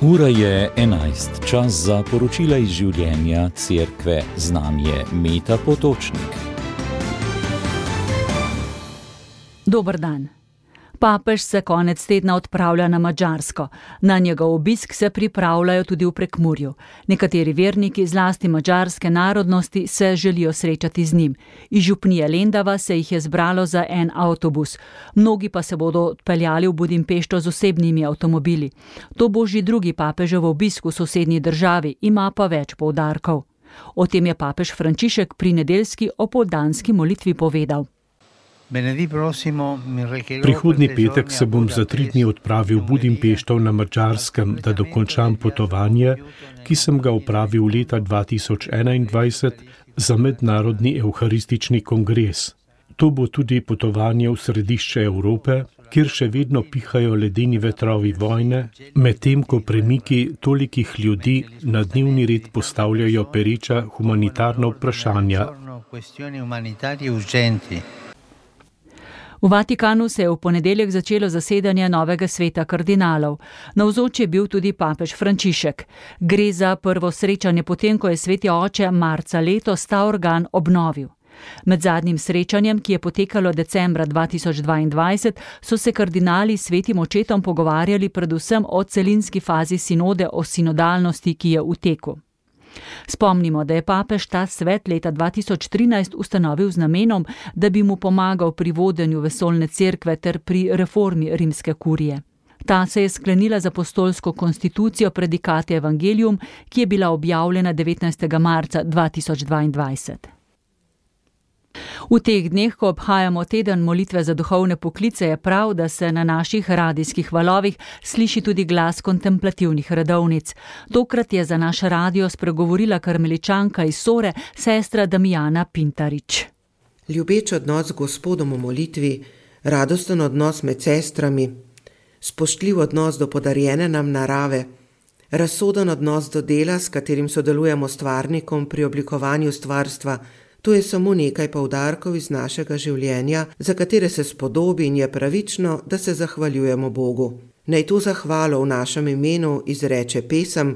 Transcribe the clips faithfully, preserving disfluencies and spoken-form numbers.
Ura je enajst, čas za poročila iz življenja Cerkve. Z nami je Meta Potočnik. Dober dan. Papež se konec tedna odpravlja na Madžarsko. Na njegov obisk se pripravljajo tudi v Prekmurju. Nekateri verniki, zlasti madžarske narodnosti, se želijo srečati z njim. Iz župnije Lendava se jih je zbralo za en avtobus. Mnogi pa se bodo odpeljali v Budimpešto z osebnimi avtomobili. To bo že drugi papežev obisk v sosednji državi, ima pa več poudarkov. O tem je papež Frančišek pri nedeljski opoldanski molitvi povedal. Prihodnji petek se bom za tri dni odpravil v Budimpešto na Madžarskem, da dokončam potovanje, ki sem ga opravil leta dva tisoč enaindvajset za mednarodni evharistični kongres. To bo tudi potovanje v središče Evrope, kjer še vedno pihajo ledeni vetrovi vojne, medtem ko premiki tolikih ljudi na dnevni red postavljajo pereča humanitarna vprašanja. V Vatikanu se je v ponedeljek začelo zasedanje novega sveta kardinalov. Navzoč je bil tudi papež Frančišek. Gre za prvo srečanje potem, ko je sveti oče marca letos ta organ obnovil. Med zadnjim srečanjem, ki je potekalo decembra dva tisoč dvaindvajset, so se kardinali s svetim očetom pogovarjali predvsem o celinski fazi sinode o sinodalnosti, ki je v teku. Spomnimo, da je papež ta svet leta dva tisoč trinajst ustanovil z namenom, da bi mu pomagal pri vodenju vesoljne cerkve ter pri reformi rimske kurije. Ta se je sklenila z apostolsko konstitucijo Predikate Evangelium, ki je bila objavljena devetnajstega marca dva tisoč dvaindvajset. V teh dneh, ko obhajamo teden molitve za duhovne poklice, je prav, da se na naših radijskih valovih sliši tudi glas kontemplativnih redovnic. Tokrat je za naš radio spregovorila karmeličanka iz Sore, sestra Damijana Pintarič. Ljubeč odnos z Gospodom v molitvi, radosten odnos med sestrami, spoštljiv odnos do podarjene nam narave, razsoden odnos do dela, s katerim sodelujemo stvarnikom pri oblikovanju stvarstva. To je samo nekaj poudarkov iz našega življenja, za katere se spodobi in je pravično, da se zahvaljujemo Bogu. Naj to zahvalo v našem imenu izreče pesem: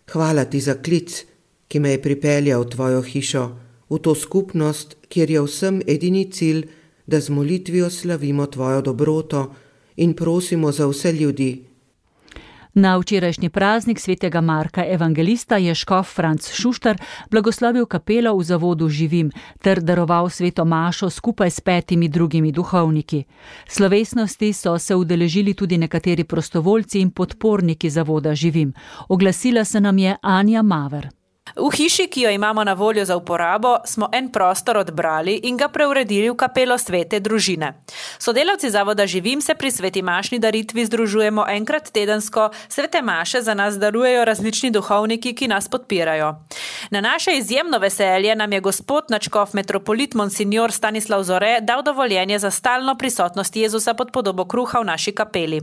Hvala ti za klic, ki me je pripeljal v tvojo hišo, v to skupnost, kjer je vsem edini cilj, da z molitvijo slavimo tvojo dobroto in prosimo za vse ljudi. Na včerajšnji praznik svetega Marka evangelista je škof Franc Šuštar blagoslovil kapelo v zavodu Živim ter daroval sveto mašo skupaj s petimi drugimi duhovniki. Slovesnosti so se udeležili tudi nekateri prostovoljci in podporniki zavoda Živim. Oglasila se nam je Anja Maver. V hiši, ki jo imamo na voljo za uporabo, smo en prostor odbrali in ga preuredili v kapelo svete družine. Sodelavci zavoda Živim se pri sveti mašni daritvi združujemo enkrat tedensko, svete maše za nas darujejo različni duhovniki, ki nas podpirajo. Na naše izjemno veselje nam je gospod nadškof metropolit monsignor Stanislav Zore dal dovoljenje za stalno prisotnost Jezusa pod podobo kruha v naši kapeli.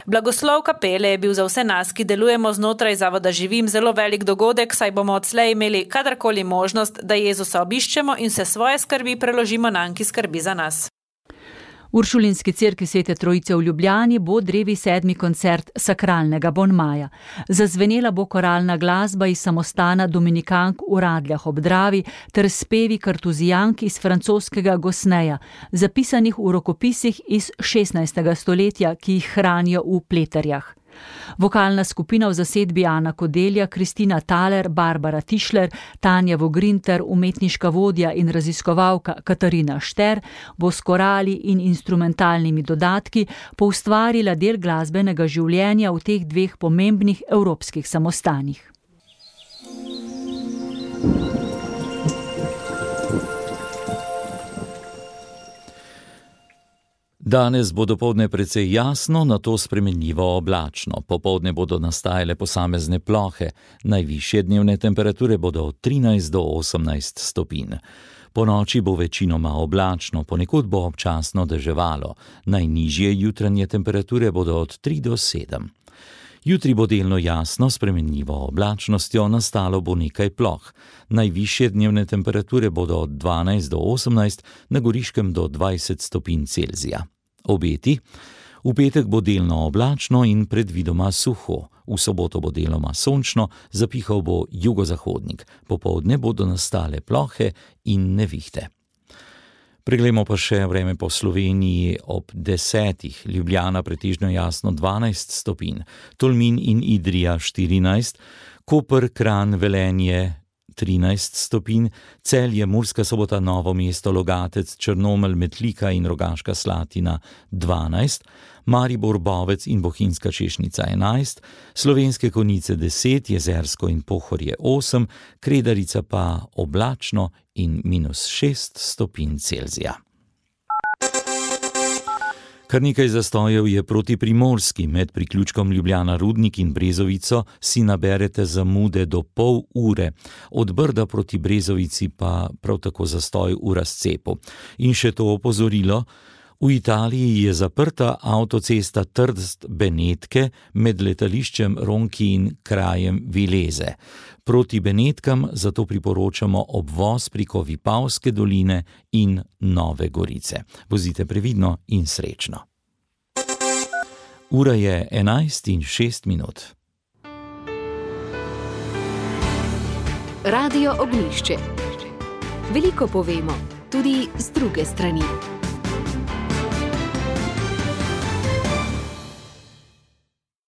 Blagoslov kapele je bil za vse nas, ki delujemo znotraj zavoda Živim, zelo velik dogodek, saj bomo odslej imeli kadarkoli možnost, da Jezusa obiščemo in se svoje skrbi preložimo nanj, ki skrbi za nas. V Uršulinski cerkvi Svete Trojice v Ljubljani bo drevi sedmi koncert sakralnega bonmaja. Zazvenela bo koralna glasba iz samostana dominikank v Radljah ob Dravi ter spevi kartuzijank iz francoskega Gosneja, zapisanih v rokopisih iz šestnajstega stoletja, ki jih hranijo v pleterjah. Vokalna skupina v zasedbi Ana Kodelja, Kristina Taler, Barbara Tišler, Tanja Vogrin ter umetniška vodja in raziskovalka Katarina Šter bo s korali in instrumentalnimi dodatki poustvarila del glasbenega življenja v teh dveh pomembnih evropskih samostanih. Danes bo dopoldne precej jasno, nato spremenljivo oblačno. Popoldne bodo nastajale posamezne plohe. Najvišje dnevne temperature bodo od trinajst do osemnajst stopinj. Po noči bo večinoma oblačno, ponekod bo občasno deževalo. Najnižje jutranje temperature bodo od tri do sedem. Jutri bo delno jasno, spremenljivo oblačnostjo, nastalo bo nekaj ploh. Najvišje dnevne temperature bodo od dvanajst do osemnajst, na Goriškem do dvajset stopinj Celzija. Obeti: V petek bo delno oblačno in predvidoma suho. V soboto bo deloma sončno, zapihal bo jugozahodnik. Popoldne bodo nastale plohe in nevihte. Preglejmo pa še vreme po Sloveniji ob desetih. Ljubljana pretežno jasno dvanajst stopinj, Tolmin in Idrija štirinajst, Koper, Kranj, Velenje trinajst stopinj, Celje, Murska Sobota, Novo mesto, Logatec, Črnomelj, Metlika in Rogaška Slatina dvanajst, Maribor, Bovec in Bohinjska Češnica enajst, Slovenske Konjice deset, Jezersko in Pohorje osem, Kredarica pa oblačno in minus šest stopinj Celzija. Kar nekaj zastojev je proti Primorski. Med priključkom Ljubljana-Rudnik in Brezovico si naberete zamude do pol ure. Od Brda proti Brezovici pa prav tako zastoj v razcepu. In še to opozorilo, v Italiji je zaprta avtocesta Trst-Benetke med letališčem Ronchi in krajem Vileze. Proti Benetkam zato priporočamo obvoz preko Vipavske doline in Nove Gorice. Vozite previdno in srečno. Ura je enajst in šest minut. Radio Ognjišče. Veliko povemo, tudi z druge strani.